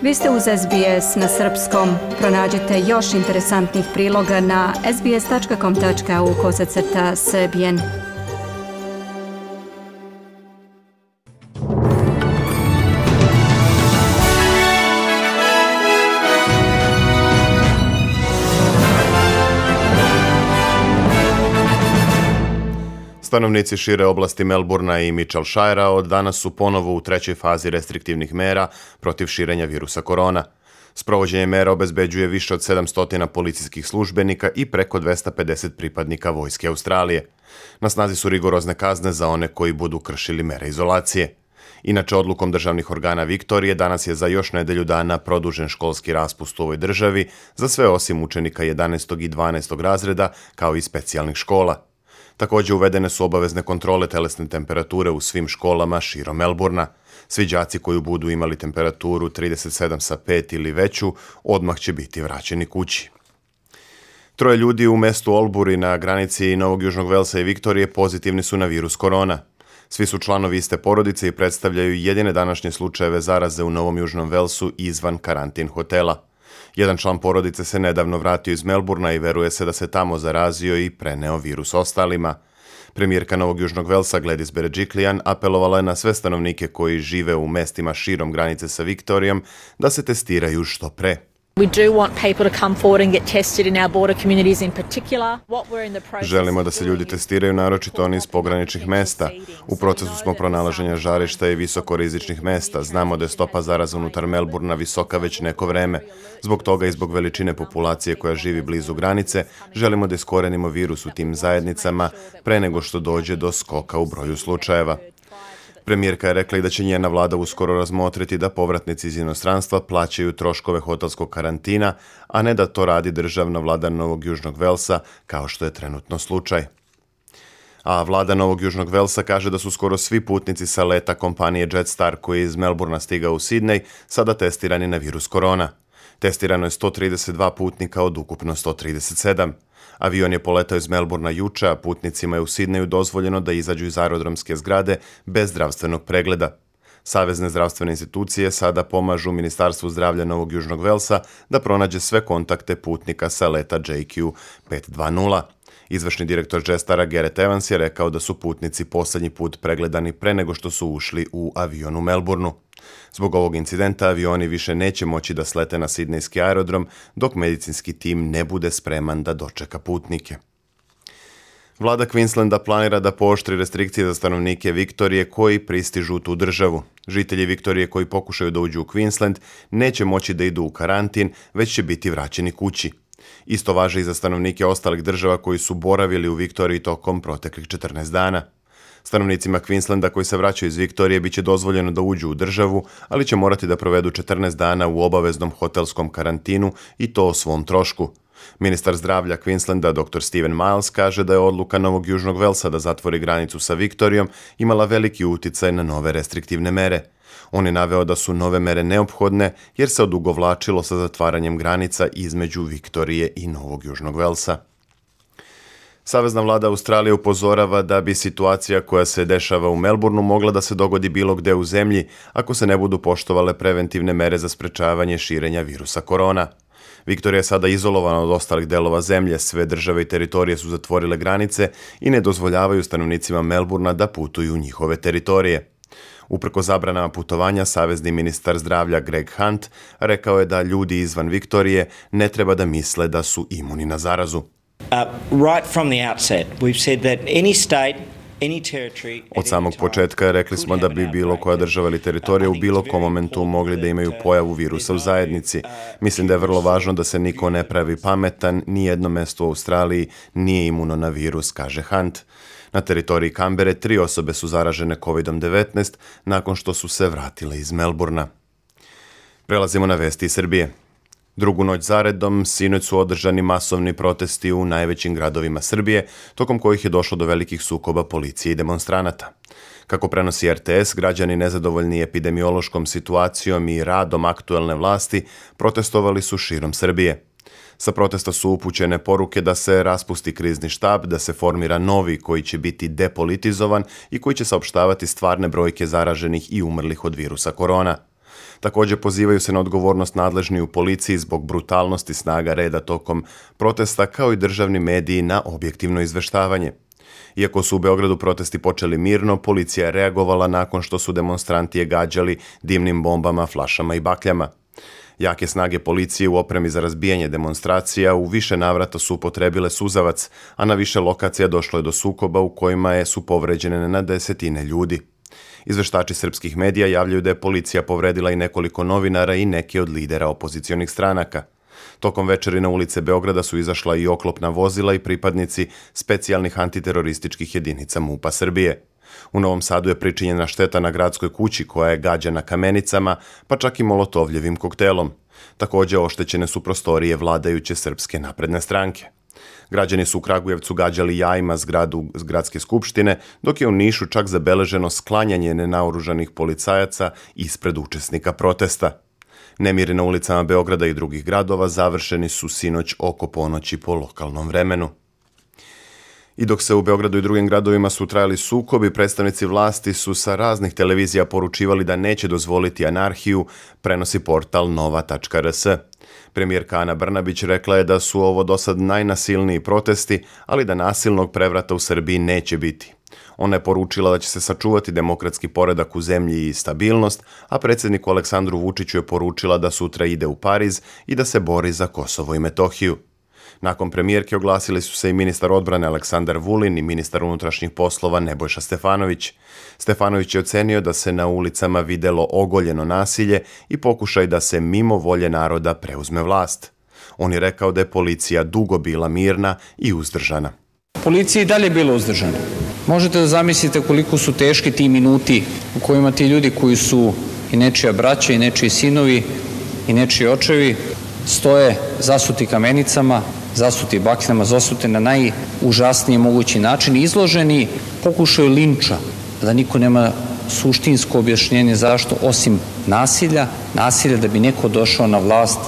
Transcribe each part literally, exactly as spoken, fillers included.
Vi ste uz S B S na srpskom. Pronađite još interesantnih priloga na sbs.com tačka au kosacrta srbijen. Stanovnici šire oblasti Melbourna i Mitchellshirea od danas su ponovo u trećoj fazi restriktivnih mera protiv širenja virusa korona. Sprovođenje mera obezbeđuje više od sedamsto policijskih službenika i preko dvesta pedeset pripadnika vojske Australije. Na snazi su rigorozne kazne za one koji budu kršili mere izolacije. Inače, odlukom državnih organa Viktorije danas je za još nedelju dana produžen školski raspust u ovoj državi za sve osim učenika jedanaestog i dvanaestog razreda, kao i specijalnih škola. Također uvedene su obavezne kontrole telesne temperature u svim školama širom Melbourna. Svi đaci koji budu imali temperaturu trideset sedam sa pet ili veću, odmah će biti vraćeni kući. Troje ljudi u mestu Albury na granici Novog Južnog Velsa i Viktorije pozitivni su na virus korona. Svi su članovi iste porodice i predstavljaju jedine današnje slučajeve zaraze u Novom Južnom Velsu izvan karantin hotela. Jedan član porodice se nedavno vratio iz Melbourna i veruje se da se tamo zarazio i preneo virus ostalima. Premijerka Novog Južnog Velsa Gladys Berejiklian apelovala je na sve stanovnike koji žive u mestima širom granice sa Viktorijom da se testiraju što pre. Želimo da se ljudi testiraju, naročito oni iz pograničnih mesta. U procesu smo pronalaženja žarišta i visokorizičnih mesta. Znamo da je stopa zaraza unutar Melbourna visoka već neko vreme. Zbog toga i zbog veličine populacije koja živi blizu granice, želimo da iskorenimo virus u tim zajednicama pre nego što dođe do skoka u broju slučajeva. Premijerka je rekla i da će njena vlada uskoro razmotriti da povratnici iz inostranstva plaćaju troškove hotelskog karantina, a ne da to radi državna vlada Novog Južnog Velsa, kao što je trenutno slučaj. A vlada Novog Južnog Velsa kaže da su skoro svi putnici sa leta kompanije Jetstar koji je iz Melbourna stigao u Sidney sada testirani na virus korona. Testirano je sto trideset dva putnika od ukupno sto trideset sedam. Avion je poletao iz Melbourna juče, a putnicima je u Sidneju dozvoljeno da izađu iz aerodromske zgrade bez zdravstvenog pregleda. Savezne zdravstvene institucije sada pomažu Ministarstvu zdravlja Novog Južnog Velsa da pronađe sve kontakte putnika sa leta J Q pet dvadeset. Izvršni direktor Jetstar Gareth Evans je rekao da su putnici posljednji put pregledani pre nego što su ušli u avion u Melbournu. Zbog ovog incidenta avioni više neće moći da slete na sidnejski aerodrom dok medicinski tim ne bude spreman da dočeka putnike. Vlada Queenslanda planira da pooštri restrikcije za stanovnike Viktorije koji pristižu u tu državu. Žitelji Viktorije koji pokušaju da uđu u Queensland neće moći da idu u karantin, već će biti vraćeni kući. Isto važi i za stanovnike ostalih država koji su boravili u Viktoriji tokom proteklih četrnaest dana. Stanovnicima Queenslanda koji se vraćaju iz Viktorije biće dozvoljeno da uđu u državu, ali će morati da provedu četrnaest dana u obaveznom hotelskom karantinu i to o svom trošku. Ministar zdravlja Queenslanda dr Steven Miles kaže da je odluka Novog Južnog Velsa da zatvori granicu sa Viktorijom imala veliki uticaj na nove restriktivne mere. On je naveo da su nove mere neophodne jer se odugovlačilo sa zatvaranjem granica između Viktorije i Novog Južnog Velsa. Savezna vlada Australije upozorava da bi situacija koja se dešava u Melbournu mogla da se dogodi bilo gde u zemlji ako se ne budu poštovale preventivne mere za sprečavanje širenja virusa korona. Viktorija je sada izolovana od ostalih delova zemlje, sve države i teritorije su zatvorile granice i ne dozvoljavaju stanovnicima Melbourna da putuju u njihove teritorije. Uprko zabranama putovanja, savezni ministar zdravlja Greg Hunt rekao je da ljudi izvan Viktorije ne treba da misle da su imuni na zarazu. Od samog početka rekli smo da bi bilo koja država ili teritorija u bilo kom momentu mogli da imaju pojavu virusa u zajednici. Mislim da je vrlo važno da se niko ne pravi pametan, ni jedno mesto u Australiji nije imuno na virus, kaže Hunt. Na teritoriji Kambere tri osobe su zaražene kovid devetnaest nakon što su se vratile iz Melbourna. Prelazimo na vesti iz Srbije. Drugu noć zaredom, sinoć su održani masovni protesti u najvećim gradovima Srbije, tokom kojih je došlo do velikih sukoba policije i demonstranata. Kako prenosi R T S, građani nezadovoljni epidemiološkom situacijom i radom aktuelne vlasti protestovali su širom Srbije. Sa protesta su upućene poruke da se raspusti krizni štab, da se formira novi koji će biti depolitizovan i koji će saopštavati stvarne brojke zaraženih i umrlih od virusa korona. Također pozivaju se na odgovornost nadležni u policiji zbog brutalnosti snaga reda tokom protesta, kao i državni mediji na objektivno izveštavanje. Iako su u Beogradu protesti počeli mirno, policija je reagovala nakon što su demonstranti je gađali dimnim bombama, flašama i bakljama. Jake snage policije u opremi za razbijanje demonstracija u više navrata su upotrebile suzavac, a na više lokacija došlo je do sukoba u kojima je su povređene na desetine ljudi. Izveštači srpskih medija javljaju da je policija povredila i nekoliko novinara i neke od lidera opozicionih stranaka. Tokom večeri na ulice Beograda su izašla i oklopna vozila i pripadnici specijalnih antiterorističkih jedinica MUP-a Srbije. U Novom Sadu je pričinjena šteta na gradskoj kući koja je gađana kamenicama, pa čak i molotovljevim koktelom. Također oštećene su prostorije vladajuće Srpske napredne stranke. Građani su u Kragujevcu gađali jajima zgradu gradske skupštine, dok je u Nišu čak zabeleženo sklanjanje nenaoružanih policajaca ispred učesnika protesta. Nemiri na ulicama Beograda i drugih gradova završeni su sinoć oko ponoći po lokalnom vremenu. I dok se u Beogradu i drugim gradovima su trajali sukobi, predstavnici vlasti su sa raznih televizija poručivali da neće dozvoliti anarhiju, prenosi portal nova tačka r s. Premijerka Ana Brnabić rekla je da su ovo dosad najnasilniji protesti, ali da nasilnog prevrata u Srbiji neće biti. Ona je poručila da će se sačuvati demokratski poredak u zemlji i stabilnost, a predsjedniku Aleksandru Vučiću je poručila da sutra ide u Pariz i da se bori za Kosovo i Metohiju. Nakon premijerke oglasili su se i ministar odbrane Aleksandar Vulin i ministar unutrašnjih poslova Nebojša Stefanović. Stefanović je ocenio da se na ulicama videlo ogoljeno nasilje i pokušaj da se mimo volje naroda preuzme vlast. On je rekao da je policija dugo bila mirna i uzdržana. Policija i dalje bila uzdržana. Možete da zamislite koliko su teški ti minuti u kojima ti ljudi koji su i nečija braća i nečiji sinovi i nečiji očevi stoje zasuti kamenicama, zasuti bakljama, zasuti na najužasniji mogući način, izloženi pokušaju linča, da niko nema suštinsko objašnjenje zašto, osim nasilja, nasilja da bi neko došao na vlast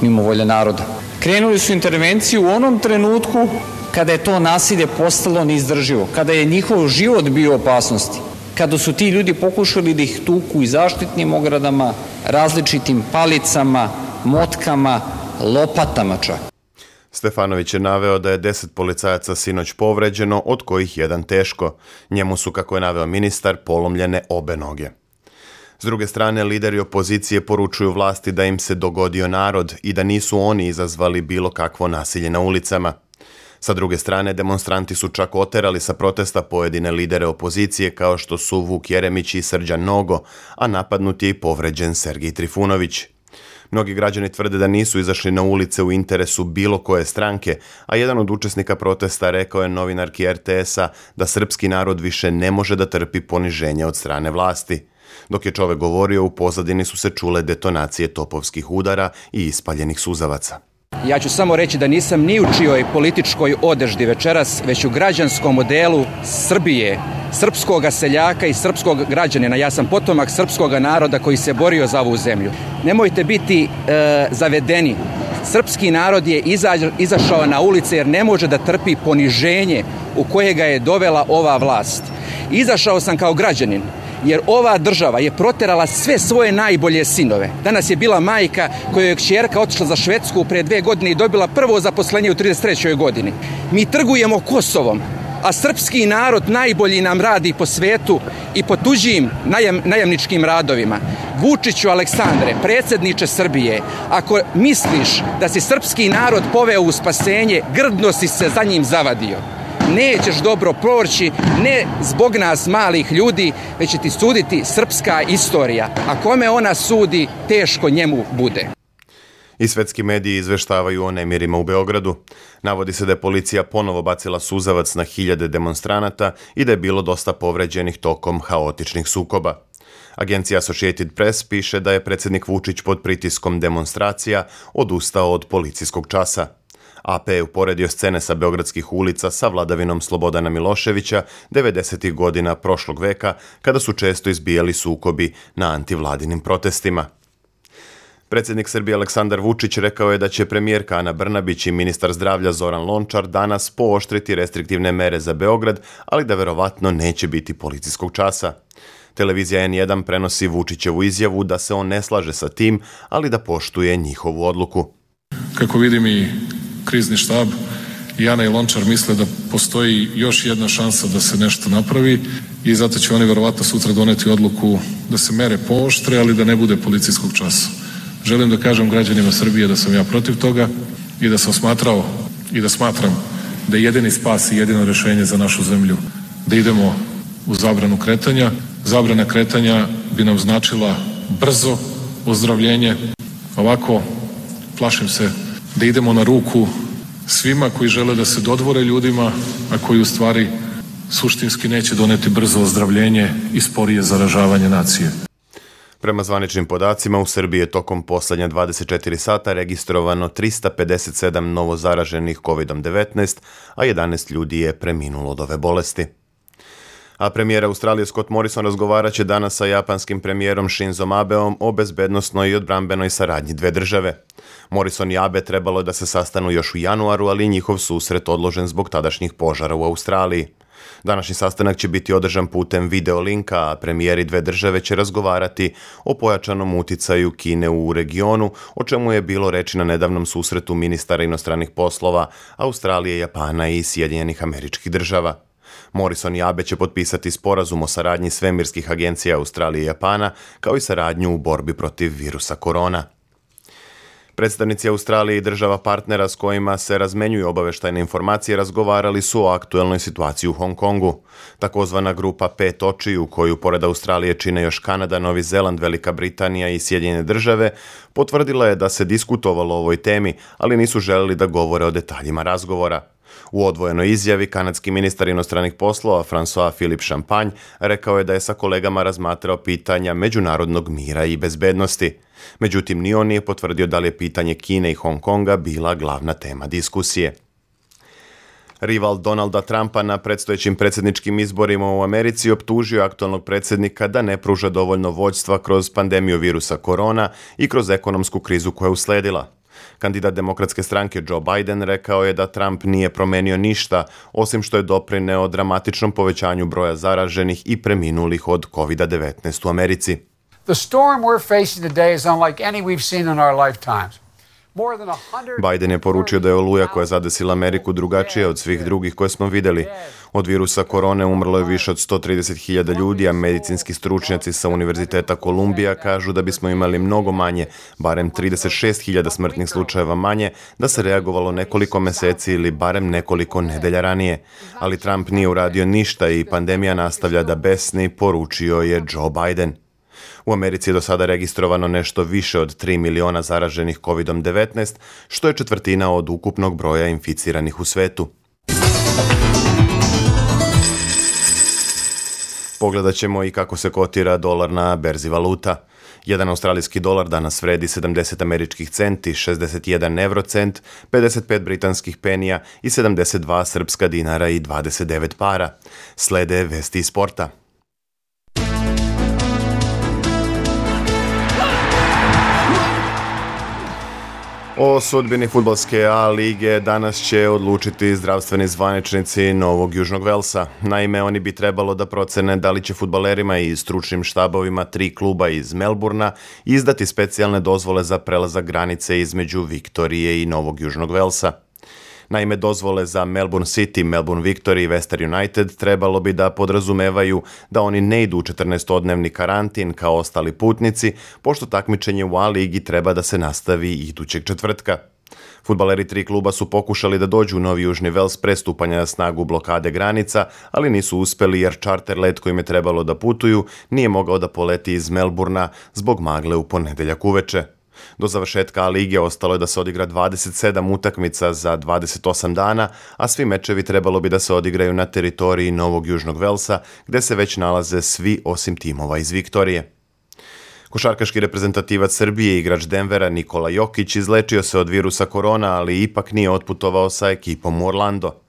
mimo volje naroda. Krenuli su intervenciju u onom trenutku kada je to nasilje postalo neizdrživo, kada je njihov život bio u opasnosti, kada su ti ljudi pokušali da ih tuku i zaštitnim ogradama, različitim palicama, motkama, lopatama čak. Stefanović je naveo da je deset policajaca sinoć povređeno, od kojih jedan teško. Njemu su, kako je naveo ministar, polomljene obe noge. S druge strane, lideri opozicije poručuju vlasti da im se dogodio narod i da nisu oni izazvali bilo kakvo nasilje na ulicama. Sa druge strane, demonstranti su čak oterali sa protesta pojedine lidere opozicije kao što su Vuk Jeremić i Srđan Nogo, a napadnut je i povređen Sergij Trifunović. Mnogi građani tvrde da nisu izašli na ulice u interesu bilo koje stranke, a jedan od učesnika protesta rekao je novinarki er te esa da srpski narod više ne može da trpi poniženje od strane vlasti. Dok je čovek govorio, u pozadini su se čule detonacije topovskih udara i ispaljenih suzavaca. Ja ću samo reći da nisam ni u čijoj političkoj odeždi večeras, već u građanskom modelu Srbije, srpskog seljaka i srpskog građanina. Ja sam potomak srpskog naroda koji se borio za ovu zemlju. Nemojte biti e, zavedeni. Srpski narod je izaž, izašao na ulice jer ne može da trpi poniženje u koje ga je dovela ova vlast. Izašao sam kao građanin, jer ova država je proterala sve svoje najbolje sinove. Danas je bila majka kojoj je kćerka otišla za Švedsku pre dve godine i dobila prvo zaposlenje u trideset trećoj godini. Mi trgujemo Kosovom, a srpski narod najbolji nam radi po svetu i po tuđim najam, najamničkim radovima. Vučiću Aleksandre, predsjedniče Srbije, ako misliš da si srpski narod poveo u spasenje, grdno si se za njim zavadio. Nećeš dobro proći, ne zbog nas malih ljudi, već će ti suditi srpska istorija. A kome ona sudi, teško njemu bude. I svetski mediji izveštavaju o nemirima u Beogradu. Navodi se da je policija ponovo bacila suzavac na hiljade demonstranata i da je bilo dosta povređenih tokom haotičnih sukoba. Agencija Associated Press piše da je predsjednik Vučić pod pritiskom demonstracija odustao od policijskog časa. a pe je uporedio scene sa beogradskih ulica sa vladavinom Slobodana Miloševića devedesetih godina prošlog veka, kada su često izbijali sukobi na antivladinim protestima. Predsjednik Srbije Aleksandar Vučić rekao je da će premijerka Ana Brnabić i ministar zdravlja Zoran Lončar danas pooštriti restriktivne mere za Beograd, ali da verovatno neće biti policijskog časa. Televizija N jedan prenosi Vučićevu izjavu da se on ne slaže sa tim, ali da poštuje njihovu odluku. Kako vidim i krizni štab i Ana i Lončar misle da postoji još jedna šansa da se nešto napravi i zato će oni verovatno sutra doneti odluku da se mere pooštre, ali da ne bude policijskog časa. Želim da kažem građanima Srbije da sam ja protiv toga i da sam smatrao i da smatram da je jedini spas i jedino rešenje za našu zemlju da idemo u zabranu kretanja. Zabrana kretanja bi nam značila brzo ozdravljenje. Ovako, plašim se da idemo na ruku svima koji žele da se dodvore ljudima, a koji u stvari suštinski neće doneti brzo ozdravljenje i sporije zaražavanje nacije. Prema zvaničnim podacima, u Srbiji je tokom poslednja dvadeset četiri sata registrovano trista pedeset sedam novo zaraženih kovid devetnaest, a jedanaest ljudi je preminulo od ove bolesti. A premijer Australije Scott Morrison razgovarat će danas sa japanskim premijerom Shinzom Abeom o bezbednosnoj i odbrambenoj saradnji dve države. Morrison i Abe trebalo je da se sastanu još u januaru, ali njihov susret odložen zbog tadašnjih požara u Australiji. Današnji sastanak će biti održan putem videolinka, a premijeri dve države će razgovarati o pojačanom uticaju Kine u regionu, o čemu je bilo reči na nedavnom susretu ministara inostranih poslova Australije, Japana i Sjedinjenih Američkih Država. Morrison i Abe će potpisati sporazum o saradnji svemirskih agencija Australije i Japana, kao i saradnju u borbi protiv virusa korona. Predstavnici Australije i država partnera s kojima se razmenjuju obaveštajne informacije razgovarali su o aktuelnoj situaciji u Hong Kongu. Takozvana grupa pet očiju, koju pored Australije čine još Kanada, Novi Zeland, Velika Britanija i Sjedinjene države, potvrdila je da se diskutovalo o ovoj temi, ali nisu želeli da govore o detaljima razgovora. U odvojenoj izjavi kanadski ministar inostranih poslova François-Philippe Champagne rekao je da je sa kolegama razmatrao pitanja međunarodnog mira i bezbednosti. Međutim, ni on nije potvrdio da li je pitanje Kine i Hong Konga bila glavna tema diskusije. Rival Donalda Trumpa na predstojećim predsjedničkim izborima u Americi optužio aktualnog predsjednika da ne pruža dovoljno vođstva kroz pandemiju virusa korona i kroz ekonomsku krizu koja je usledila. Kandidat demokratske stranke Joe Biden rekao je da Trump nije promenio ništa, osim što je doprineo dramatičnom povećanju broja zaraženih i preminulih od kovid devetnaest u Americi. The storm we're facing today is unlike any we've seen in our lifetimes. Biden je poručio da je oluja koja je zadesila Ameriku drugačija od svih drugih koje smo vidjeli. Od virusa korone umrlo je više od sto trideset hiljada ljudi, a medicinski stručnjaci sa Univerziteta Kolumbija kažu da bismo imali mnogo manje, barem trideset šest hiljada smrtnih slučajeva manje, da se reagovalo nekoliko meseci ili barem nekoliko nedelja ranije. Ali Trump nije uradio ništa i pandemija nastavlja da besni, poručio je Joe Biden. U Americi je do sada registrovano nešto više od tri miliona zaraženih kovid devetnaest, što je četvrtina od ukupnog broja inficiranih u svetu. Pogledat ćemo i kako se kotira dolar na berzi valuta. Jedan australijski dolar danas vredi sedamdeset američkih centi, šezdeset jedan evrocent, pedeset pet britanskih penija i sedamdeset dva srpska dinara i dvadeset devet para. Slede vesti iz sporta. O sudbini fudbalske A lige danas će odlučiti zdravstveni zvaničnici Novog Južnog Velsa. Naime, oni bi trebalo da procene da li će fudbalerima i stručnim štabovima tri kluba iz Melburna izdati specijalne dozvole za prelazak granice između Viktorije i Novog Južnog Velsa. Naime, dozvole za Melbourne City, Melbourne Victory i Western United trebalo bi da podrazumevaju da oni ne idu u četrnaestodnevni karantin kao ostali putnici, pošto takmičenje u A ligi treba da se nastavi idućeg četvrtka. Fudbaleri tri kluba su pokušali da dođu u Novi Južni Vels pre stupanja na snagu blokade granica, ali nisu uspeli jer čarter let kojim je trebalo da putuju nije mogao da poleti iz Melburna zbog magle u ponedeljak uveče. Do završetka A lige ostalo je da se odigra dvadeset sedam utakmica za dvadeset osam dana, a svi mečevi trebalo bi da se odigraju na teritoriji Novog Južnog Velsa, gde se već nalaze svi osim timova iz Viktorije. Košarkaški reprezentativac Srbije i igrač Denvera Nikola Jokić izlečio se od virusa korona, ali ipak nije otputovao sa ekipom u Orlando.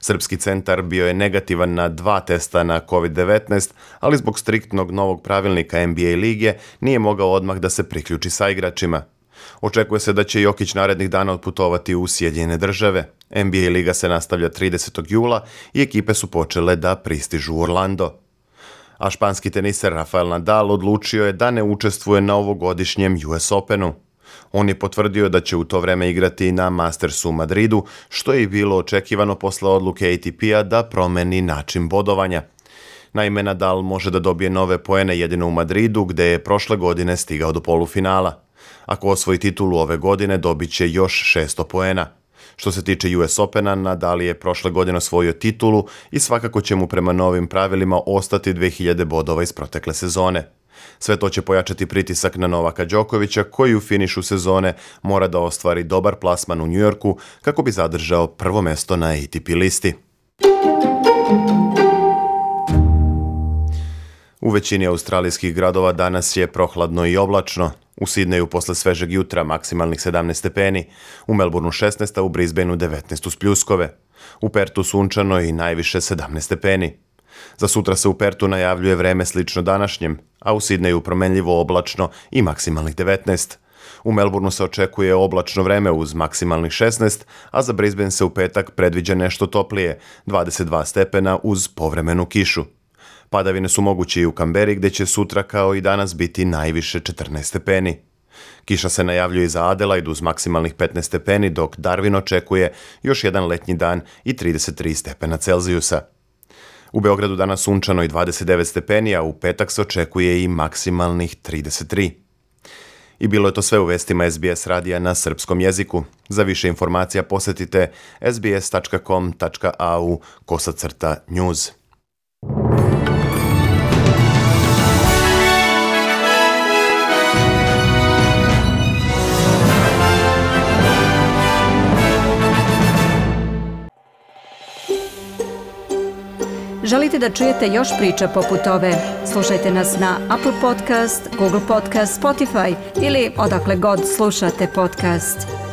Srpski centar bio je negativan na dva testa na kovid devetnaest, ali zbog striktnog novog pravilnika N B A lige nije mogao odmah da se priključi sa igračima. Očekuje se da će Jokić narednih dana otputovati u Sjedinjene države. N B A liga se nastavlja tridesetog jula i ekipe su počele da pristižu u Orlando. A španski teniser Rafael Nadal odlučio je da ne učestvuje na ovogodišnjem U S Openu. On je potvrdio da će u to vreme igrati na Mastersu u Madridu, što je i bilo očekivano posle odluke A T P-a da promeni način bodovanja. Naime, Nadal može da dobije nove poene jedino u Madridu, gde je prošle godine stigao do polufinala. Ako osvoji titulu ove godine, dobit će još šesto poena. Što se tiče U S Opena, Nadal je prošle godine osvojio titulu i svakako će mu prema novim pravilima ostati dve hiljade bodova iz protekle sezone. Sve to će pojačati pritisak na Novaka Đokovića, koji u finišu sezone mora da ostvari dobar plasman u Njujorku kako bi zadržao prvo mesto na A T P listi. U većini australijskih gradova danas je prohladno i oblačno. U Sidneju posle svežeg jutra maksimalnih sedamnaest stepeni, u Melbourneu šesnaest, a u Brisbaneu devetnaest uz pljuskove. U Pertu sunčano i najviše sedamnaest stepeni. Za sutra se u Pertu najavljuje vreme slično današnjem, a u Sidneju promenljivo oblačno i maksimalnih devetnaest. U Melbourneu se očekuje oblačno vreme uz maksimalnih šesnaest, a za Brisbane se u petak predviđa nešto toplije, dvadeset dva stepena uz povremenu kišu. Padavine su moguće i u Kamberi, gde će sutra kao i danas biti najviše četrnaest stepeni. Kiša se najavljuje i za Adelaide uz maksimalnih petnaest stepeni, dok Darwin očekuje još jedan letnji dan i trideset tri stepena Celzijusa. U Beogradu danas sunčano i dvadeset devet stepeni, a u petak se očekuje i maksimalnih trideset tri. I bilo je to sve u vestima S B S radija na srpskom jeziku. Za više informacija posetite s b s tačka com tačka a u kosacrta news. Želite da čujete još priča poput ove? Slušajte nas na Apple Podcast, Google Podcast, Spotify ili odakle god slušate podcast.